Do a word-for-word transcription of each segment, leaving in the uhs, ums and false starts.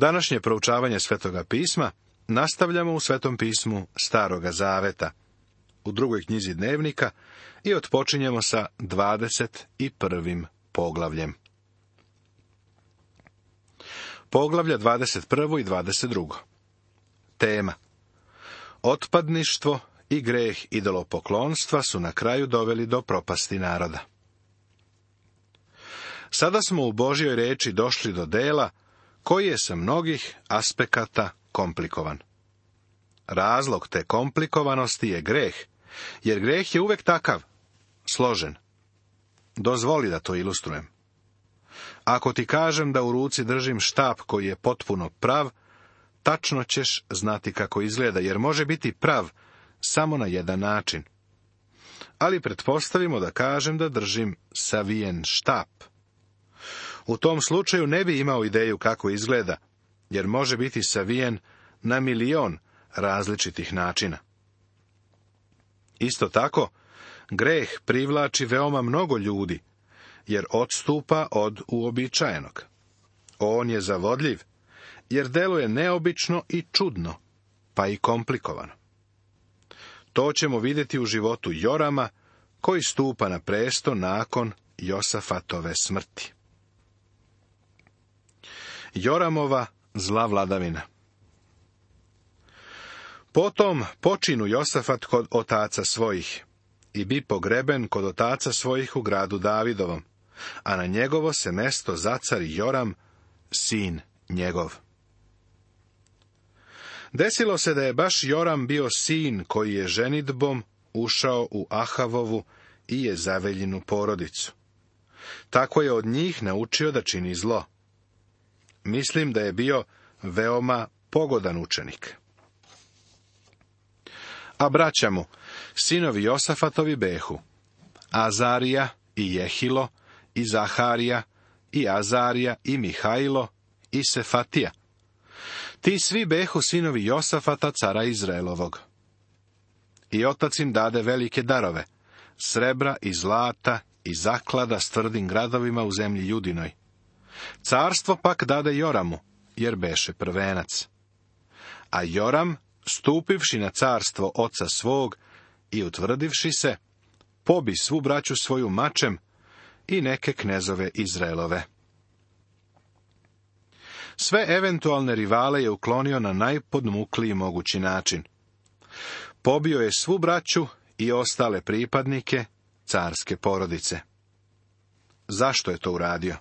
Današnje proučavanje Svetoga pisma nastavljamo u Svetom pismu Staroga zaveta, u drugoj knjizi dnevnika, i otpočinjemo sa dvadeset prvim poglavljem. Poglavlja dvadeset prvo i dvadeset drugo. Tema: Otpadništvo i greh idolopoklonstva su na kraju doveli do propasti naroda. Sada smo u Božjoj reči došli do dela koji je sa mnogih aspekata komplikovan. Razlog te komplikovanosti je greh, jer greh je uvek takav, složen. Dozvoli da to ilustrujem. Ako ti kažem da u ruci držim štap koji je potpuno prav, tačno ćeš znati kako izgleda, jer može biti prav samo na jedan način. Ali pretpostavimo da kažem da držim savijen štap. U tom slučaju ne bi imao ideju kako izgleda, jer može biti savijen na milion različitih načina. Isto tako, greh privlači veoma mnogo ljudi, jer odstupa od uobičajenog. On je zavodljiv, jer deluje neobično i čudno, pa i komplikovano. To ćemo vidjeti u životu Jorama, koji stupa na presto nakon Josafatove smrti. Joramova zla vladavina. Potom počinu Josafat kod otaca svojih i bi pogreben kod otaca svojih u gradu Davidovom, a na njegovo se mesto zacari Joram, sin njegov. Desilo se da je baš Joram bio sin koji je ženidbom ušao u Ahavovu i Jezaveljinu porodicu. Tako je od njih naučio da čini zlo. Mislim da je bio veoma pogodan učenik. A braća mu, sinovi Josafatovi behu, Azarija i Jehilo, i Zaharija, i Azarija, i Mihajlo, i Sefatija. Ti svi behu sinovi Josafata, cara Izraelovog. I otac im dade velike darove, srebra i zlata i zaklada s tvrdim gradovima u zemlji Judinoj. Carstvo pak dade Joramu, jer beše prvenac. A Joram, stupivši na carstvo oca svog i utvrdivši se, pobi svu braću svoju mačem i neke knezove Izraelove. Sve eventualne rivale je uklonio na najpodmukliji mogući način. Pobio je svu braću i ostale pripadnike carske porodice. Zašto je to uradio?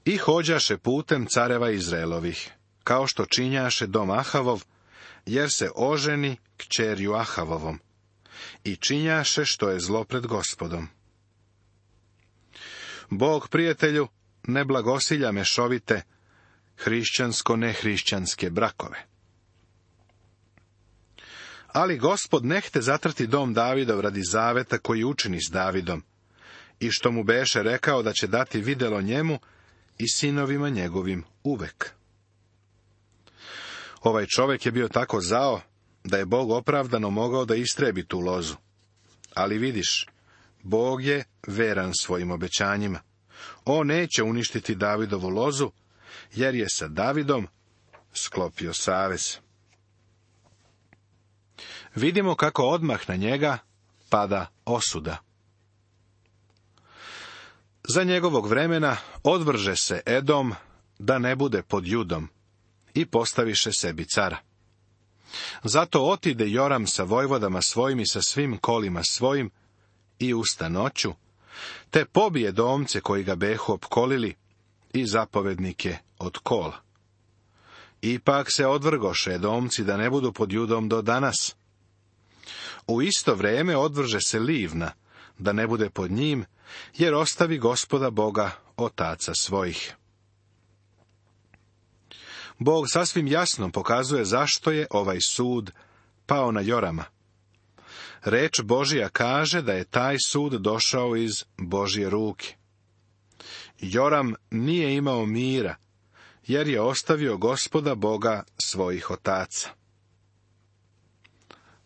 I hođaše putem careva Izraelovih, kao što činjaše dom Ahavov, jer se oženi kćerju Ahavovom, i činjaše što je zlo pred Gospodom. Bog, prijatelju, ne blagosilja mešovite, hrišćansko-nehrišćanske brakove. Ali Gospod nehte zatrti dom Davidov radi zaveta koji učini s Davidom, i što mu beše rekao da će dati videlo njemu i sinovima njegovim uvek. Ovaj čovjek je bio tako zao, da je Bog opravdano mogao da istrebi tu lozu. Ali vidiš, Bog je veran svojim obećanjima. On neće uništiti Davidovu lozu, jer je sa Davidom sklopio savez. Vidimo kako odmah na njega pada osuda. Za njegovog vremena odvrže se Edom da ne bude pod Judom i postaviše sebi cara. Zato otide Joram sa vojvodama svojim i sa svim kolima svojim i usta noću, te pobije domce koji ga behu opkolili i zapovednike od kola. Ipak se odvrgoše domci da ne budu pod Judom do danas. U isto vrijeme odvrže se Livna da ne bude pod njim, jer ostavi Gospoda Boga otaca svojih. Bog sasvim jasno pokazuje zašto je ovaj sud pao na Jorama. Reč Božija kaže da je taj sud došao iz Božje ruke. Joram nije imao mira, jer je ostavio Gospoda Boga svojih otaca.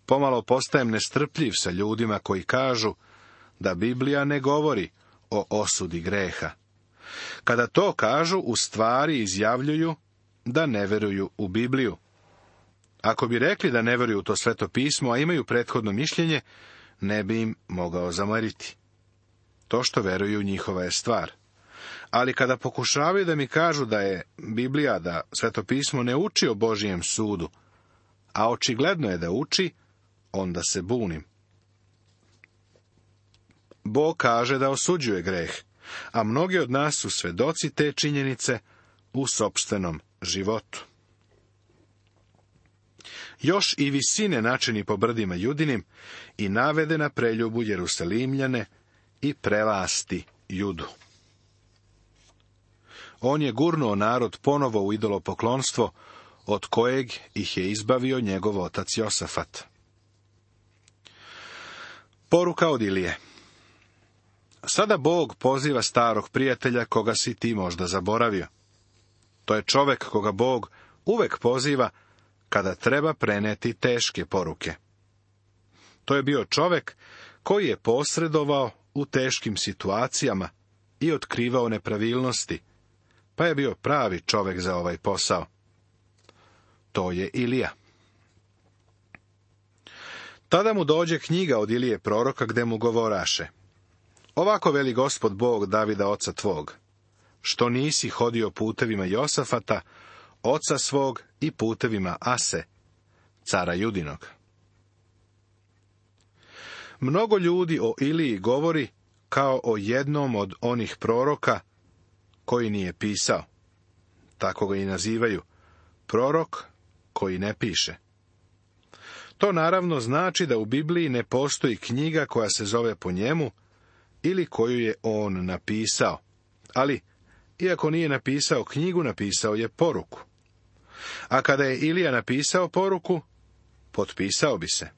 Pomalo postajem nestrpljiv sa ljudima koji kažu da Biblija ne govori o osudi greha, Kada to kažu, u stvari izjavljuju da ne veruju u Bibliju. Ako bi rekli da ne veruju u to Sveto pismo, a imaju prethodno mišljenje, ne bi im mogao zameriti. To što veruju njihova je stvar. Ali kada pokušavaju da mi kažu da je Biblija, da Sveto pismo ne uči o Božijem sudu, a očigledno je da uči, onda se bunim. Bog kaže da osuđuje greh, a mnogi od nas su svedoci te činjenice u sopstvenom životu. Još i visine načini po brdima Judinim i navede na preljubu Jerusalimljane i prelasti Judu. On je gurnuo narod ponovo u idolopoklonstvo, od kojeg ih je izbavio njegov otac Josafat. Poruka od Ilije. Sada Bog poziva starog prijatelja koga si ti možda zaboravio. To je čovek koga Bog uvek poziva kada treba preneti teške poruke. To je bio čovek koji je posredovao u teškim situacijama i otkrivao nepravilnosti, pa je bio pravi čovek za ovaj posao. To je Ilija. Tada mu dođe knjiga od Ilije proroka gde mu govoraše: Ovako veli Gospod Bog Davida oca tvog, što nisi hodio putevima Josafata, oca svog, i putevima Ase, cara Judinog. Mnogo ljudi o Iliji govori kao o jednom od onih proroka koji nije pisao. Tako ga i nazivaju, prorok koji ne piše. To naravno znači da u Bibliji ne postoji knjiga koja se zove po njemu ili koju je on napisao. Ali, iako nije napisao knjigu, napisao je poruku. A kada je Ilija napisao poruku, potpisao bi se.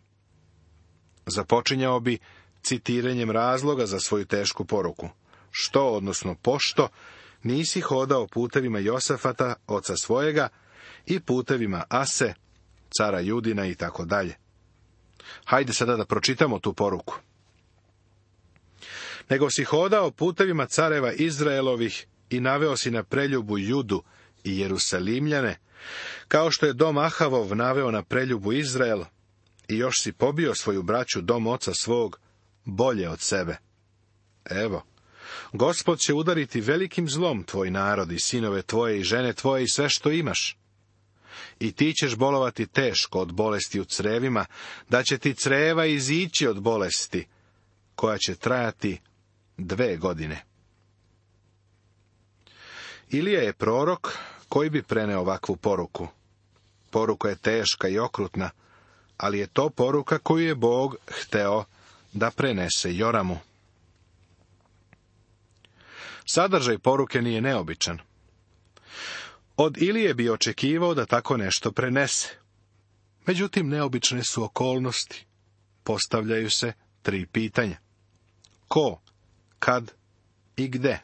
Započinjao bi citiranjem razloga za svoju tešku poruku. Što, odnosno pošto, nisi hodao putevima Josafata, oca svojega, i putevima Ase, cara Judina i tako dalje. Hajde sada da pročitamo tu poruku. Nego si hodao putevima careva Izraelovih i naveo si na preljubu Judu i Jerusalimljane, kao što je dom Ahavov naveo na preljubu Izrael, i još si pobio svoju braću, dom oca svog, bolje od sebe. Evo, Gospod će udariti velikim zlom tvoj narod i sinove tvoje i žene tvoje i sve što imaš. I ti ćeš bolovati teško od bolesti u crevima, da će ti creva izići od bolesti, koja će trajati dve godine. Ilija je prorok koji bi preneo ovakvu poruku. Poruka je teška i okrutna, ali je to poruka koju je Bog hteo da prenese Joramu. Sadržaj poruke nije neobičan. Od Ilije bi očekivao da tako nešto prenese. Međutim, neobične su okolnosti. Postavljaju se tri pitanja. Ko, kad i gde?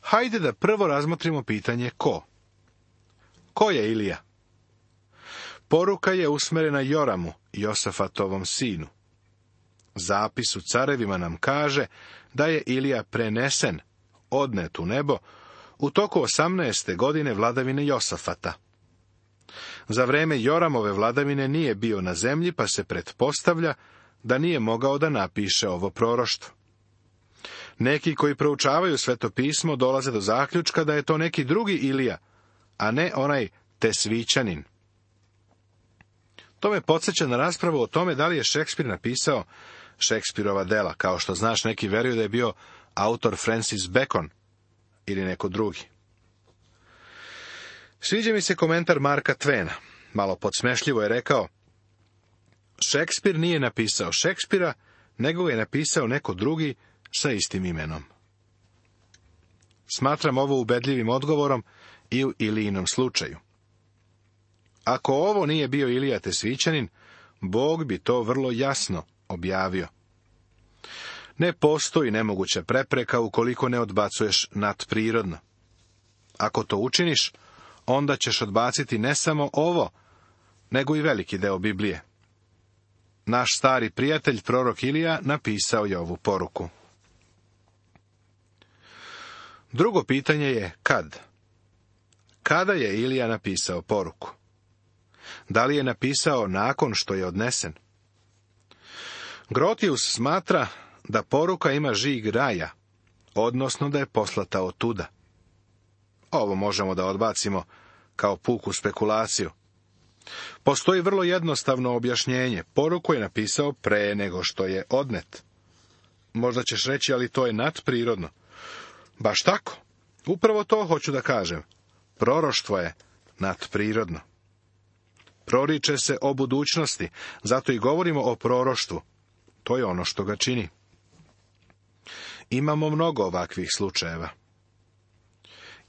Hajde da prvo razmotrimo pitanje ko. Ko je Ilija? Poruka je usmerena Joramu, Josafatovom sinu. Zapis u carevima nam kaže da je Ilija prenesen, odnet u nebo, u toku osamnaeste godine vladavine Josafata. Za vreme Joramove vladavine nije bio na zemlji, pa se pretpostavlja da nije mogao da napiše ovo proroštvo. Neki koji proučavaju Sveto pismo dolaze do zaključka da je to neki drugi Ilija, a ne onaj Tesvićanin. To me podsjeća na raspravu o tome da li je Šekspir napisao Šekspirova dela. Kao što znaš, neki veruju da je bio autor Francis Bacon ili neko drugi. Sviđa mi se komentar Marka Tvena. Malo podsmešljivo je rekao: Šekspir nije napisao Šekspira, nego je napisao neko drugi sa istim imenom. Smatram ovo ubedljivim odgovorom i u Ilijinom slučaju. Ako ovo nije bio Ilija Tesvićanin, Bog bi to vrlo jasno objavio. Ne postoji nemoguća prepreka ukoliko ne odbacuješ nadprirodno. Ako to učiniš, onda ćeš odbaciti ne samo ovo, nego i veliki deo Biblije. Naš stari prijatelj, prorok Ilija, napisao je ovu poruku. Drugo pitanje je kad. Kada je Ilija napisao poruku? Da li je napisao nakon što je odnesen? Grotius smatra da poruka ima žig raja, odnosno da je poslata otuda. Ovo možemo da odbacimo kao puku spekulaciju. Postoji vrlo jednostavno objašnjenje. Poruku je napisao pre nego što je odnet. Možda ćeš reći, ali to je nadprirodno. Baš tako. Upravo to hoću da kažem. Proroštvo je nadprirodno. Proriče se o budućnosti, zato i govorimo o proroštvu. To je ono što ga čini. Imamo mnogo ovakvih slučajeva.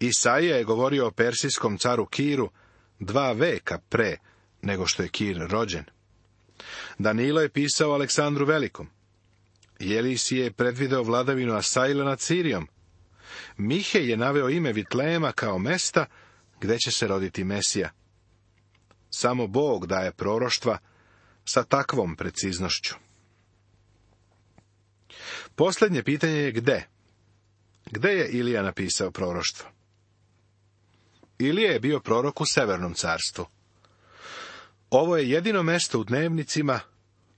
Isaija je govorio o persijskom caru Kiru dva veka pre nego što je Kir rođen. Danilo je pisao Aleksandru Velikom. Jelisije je predvideo vladavinu Asaila nad Sirijom. Mihej je naveo ime Vitlema kao mesta gde će se roditi Mesija. Samo Bog daje proroštva sa takvom preciznošću. Posljednje pitanje je gde? Gde je Ilija napisao proroštvo? Ilija je bio prorok u Severnom carstvu. Ovo je jedino mesto u dnevnicima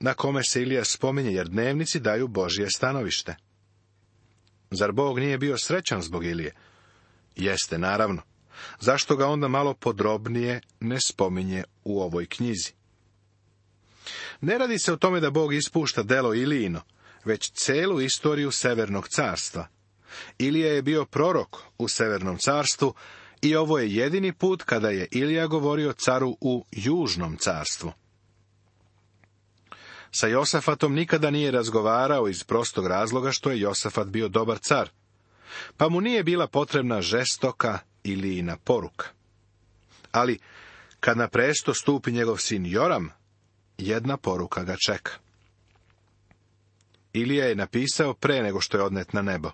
na kome se Ilija spominje, jer dnevnici daju Božje stanovište. Zar Bog nije bio srećan zbog Ilije? Jeste, naravno. Zašto ga onda malo podrobnije ne spominje u ovoj knjizi? Ne radi se o tome da Bog ispušta delo Ilijino, već celu istoriju Severnog carstva. Ilija je bio prorok u Severnom carstvu i ovo je jedini put kada je Ilija govorio caru u Južnom carstvu. Sa Josafatom nikada nije razgovarao iz prostog razloga što je Josafat bio dobar car, pa mu nije bila potrebna žestoka Ilijina poruka. Ali, kad na presto stupi njegov sin Joram, jedna poruka ga čeka. Ilija je napisao pre nego što je odnet na nebo.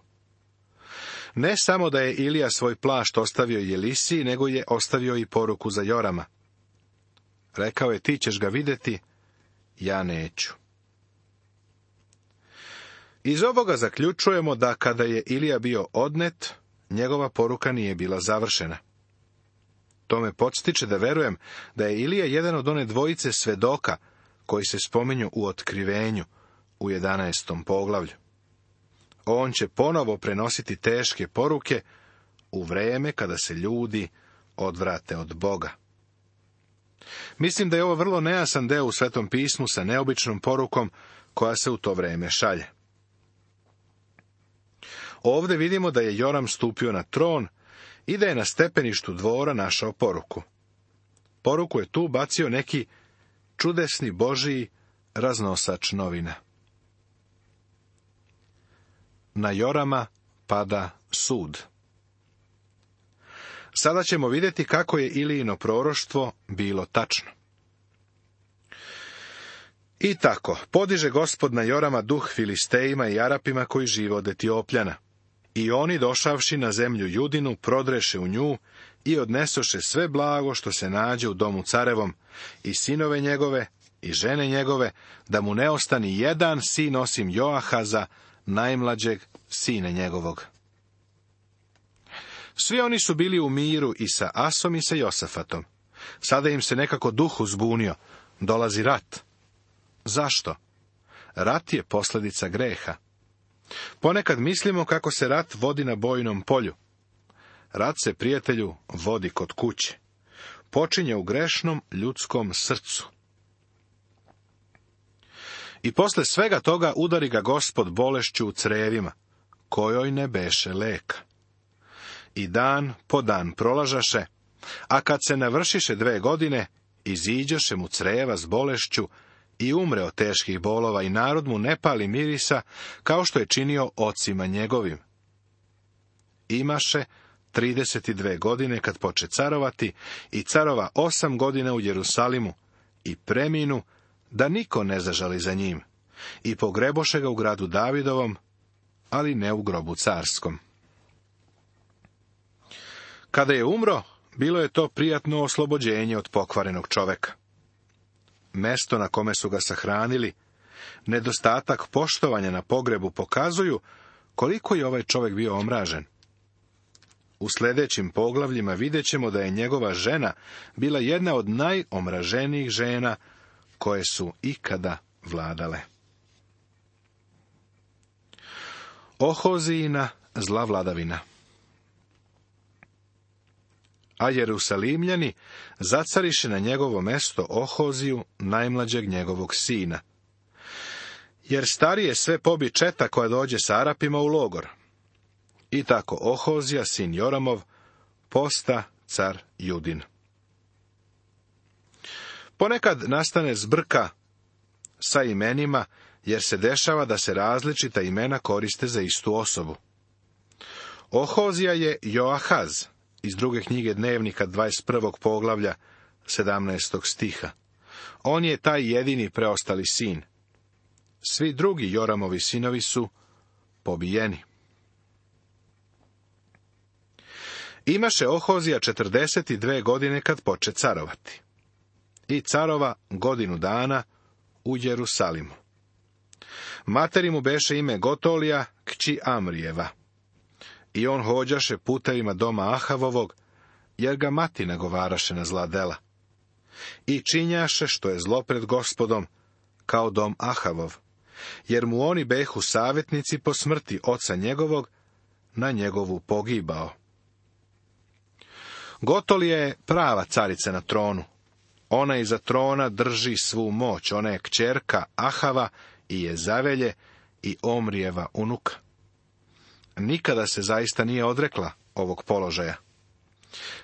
Ne samo da je Ilija svoj plašt ostavio Jelisiji, nego je ostavio i poruku za Jorama. Rekao je, ti ćeš ga vidjeti, ja neću. Iz ovoga zaključujemo da kada je Ilija bio odnet, njegova poruka nije bila završena. To me podstiče da verujem da je Ilija jedan od one dvojice svedoka koji se spominju u Otkrivenju u jedanaestom poglavlju. On će ponovo prenositi teške poruke u vreme kada se ljudi odvrate od Boga. Mislim da je ovo vrlo nejasan deo u Svetom pismu sa neobičnom porukom koja se u to vreme šalje. Ovdje vidimo da je Joram stupio na tron i da je na stepeništu dvora našao poruku. Poruku je tu bacio neki čudesni Božiji raznosač novina. Na Jorama pada sud. Sada ćemo vidjeti kako je Ilijino proroštvo bilo tačno. I tako, podiže Gospod na Jorama duh Filistejima i Arapima koji žive od Etiopljana. I oni, došavši na zemlju Judinu, prodreše u nju i odnesoše sve blago što se nađe u domu carevom, i sinove njegove, i žene njegove, da mu ne ostani jedan sin osim Joahaza, najmlađeg sine njegovog. Svi oni su bili u miru i sa Asom i sa Josafatom. Sada im se nekako duh uzbunio. Dolazi rat. Zašto? Rat je posljedica greha. Ponekad mislimo kako se rat vodi na bojnom polju. Rat se, prijatelju, vodi kod kuće. Počinje u grešnom ljudskom srcu. I posle svega toga udari ga Gospod bolešću u crevima, kojoj ne beše leka. I dan po dan prolažaše, a kad se navršiše dve godine, iziđoše mu creva s bolešću i umre od teških bolova, i narod mu ne pali mirisa, kao što je činio ocima njegovim. Imaše trideset dve godine kad poče carovati, i carova osam godina u Jerusalimu, i preminu, da niko ne zažali za njim, i pogreboše ga u gradu Davidovom, ali ne u grobu carskom. Kada je umro, bilo je to prijatno oslobođenje od pokvarenog čoveka. Mesto na kome su ga sahranili, nedostatak poštovanja na pogrebu pokazuju koliko je ovaj čovjek bio omražen. u sljedećim poglavljima vidjet ćemo da je njegova žena bila jedna od najomraženijih žena koje su ikada vladale. Ohozijina zla vladavina. A Jerusalimljani zacariše na njegovo mesto Ohoziju, najmlađeg njegovog sina. Jer starije sve pobi četa koja dođe s Arapima u logor. I tako Ohozija, sin Joramov, posta car Judin. Ponekad nastane zbrka sa imenima, jer se dešava da se različita imena koriste za istu osobu. Ohozija je Joahaz, iz druge knjige Dnevnika dvadeset prvog poglavlja sedamnaestog stiha. On je taj jedini preostali sin. Svi drugi Joramovi sinovi su pobijeni. Imaše Ohozija četrdeset dvije godine kad poče carovati. I carova godinu dana u Jerusalimu. Materi mu beše ime Gotolija, kći Amrijeva. I on hođaše putevima doma Ahavovog, jer ga mati nagovaraše na zla dela. I činjaše što je zlo pred Gospodom, kao dom Ahavov, jer mu oni behu savjetnici po smrti oca njegovog, na njegovu pogibao. Gotolija je prava carica na tronu. Ona iza trona drži svu moć, ona je kćerka Ahava i Jezavelje i Omrijeva unuka. Nikada se zaista nije odrekla ovog položaja.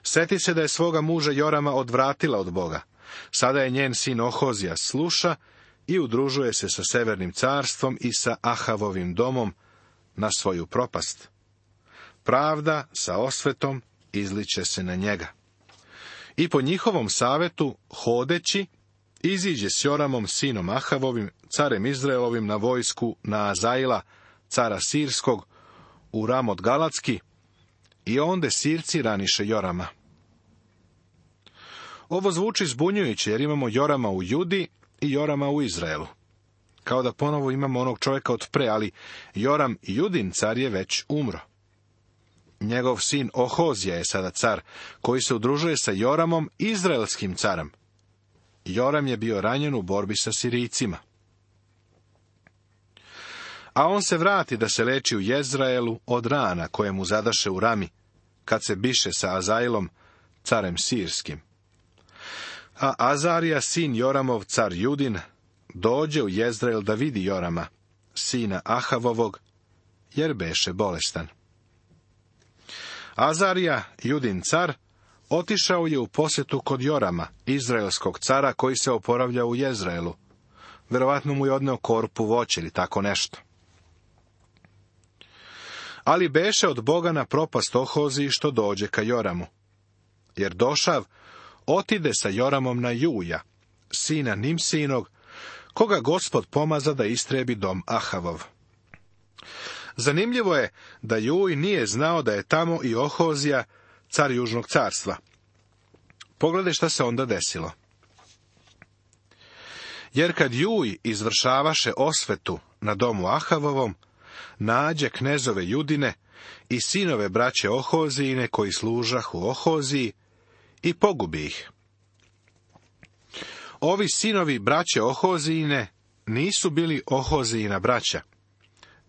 Seti se da je svoga muža Jorama odvratila od Boga. Sada je njen sin Ohozija sluša i udružuje se sa Severnim carstvom i sa Ahavovim domom na svoju propast. Pravda sa osvetom izliče se na njega. I po njihovom savetu, hodeći, iziđe s Joramom, sinom Ahavovim, carem Izraelovim, na vojsku na Azaila, cara Sirskog, u Ramot Galatski, i onda Sirci raniše Jorama. Ovo zvuči zbunjujuće, jer imamo Jorama u Judi i Jorama u Izraelu. Kao da ponovo imamo onog čovjeka od pre, ali Joram Judin car je već umro. Njegov sin Ohozija je sada car, koji se udružuje sa Joramom, izraelskim carem. Joram je bio ranjen u borbi sa Sirijcima. A on se vrati da se leči u Jezraelu od rana koje mu zadaše u Rami, kad se biše sa Azailom, carem Sirskim. A Azarija, sin Joramov, car Judin, dođe u Jezrael da vidi Jorama, sina Ahavovog, jer beše bolestan. Azarija, Judin car, otišao je u posjetu kod Jorama, izraelskog cara koji se oporavlja u Jezraelu. Verovatno mu je odneo korpu voća ili tako nešto. Ali beše od Boga na propast Ohoziji što dođe ka Joramu. Jer došav otide sa Joramom na Juja, sina Nimsinog, koga Gospod pomaza da istrebi dom Ahavov. Zanimljivo je da Juj nije znao da je tamo i Ohozija, car južnog carstva. Pogledaj šta se onda desilo. Jer kad Juj izvršavaše osvetu na domu Ahavovom, nađe knezove Judine i sinove braće Ohozijine koji služahu Ohoziji i pogubi ih. Ovi sinovi braće Ohozijine nisu bili Ohozijina braća,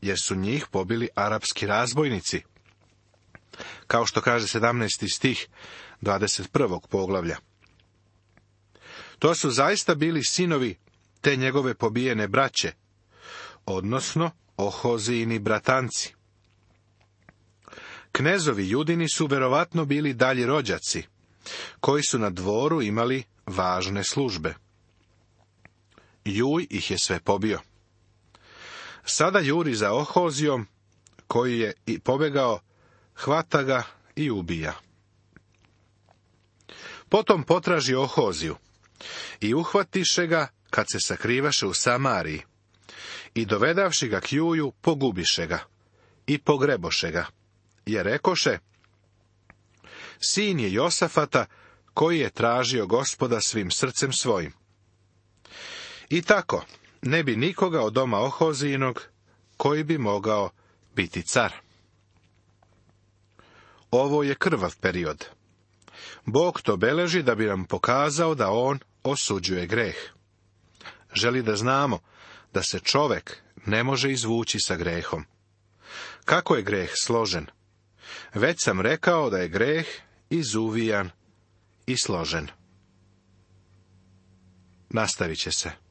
jer su njih pobili arapski razbojnici, kao što kaže sedamnaesti stih dvadeset prvog poglavlja. To su zaista bili sinovi te njegove pobijene braće, odnosno Ohozijini bratanci. Knezovi Judini su verovatno bili dalji rođaci, koji su na dvoru imali važne službe. Juj ih je sve pobio. Sada juri za Ohozijom, koji je i pobegao, hvata ga i ubija. Potom potraži Ohoziju i uhvatiše ga kad se sakrivaše u Samariji i dovedavši ga k Juju, pogubiše ga i pogreboše ga, jer rekoše: sin je Josafata, koji je tražio Gospoda svim srcem svojim. I tako, ne bi nikoga od doma Ohozijinog koji bi mogao biti car. Ovo je krvav period. Bog to beleži da bi nam pokazao da on osuđuje greh. Želi da znamo da se čovek ne može izvući sa grehom. Kako je greh složen? Već sam rekao da je greh izuvijan i složen. Nastavit će se.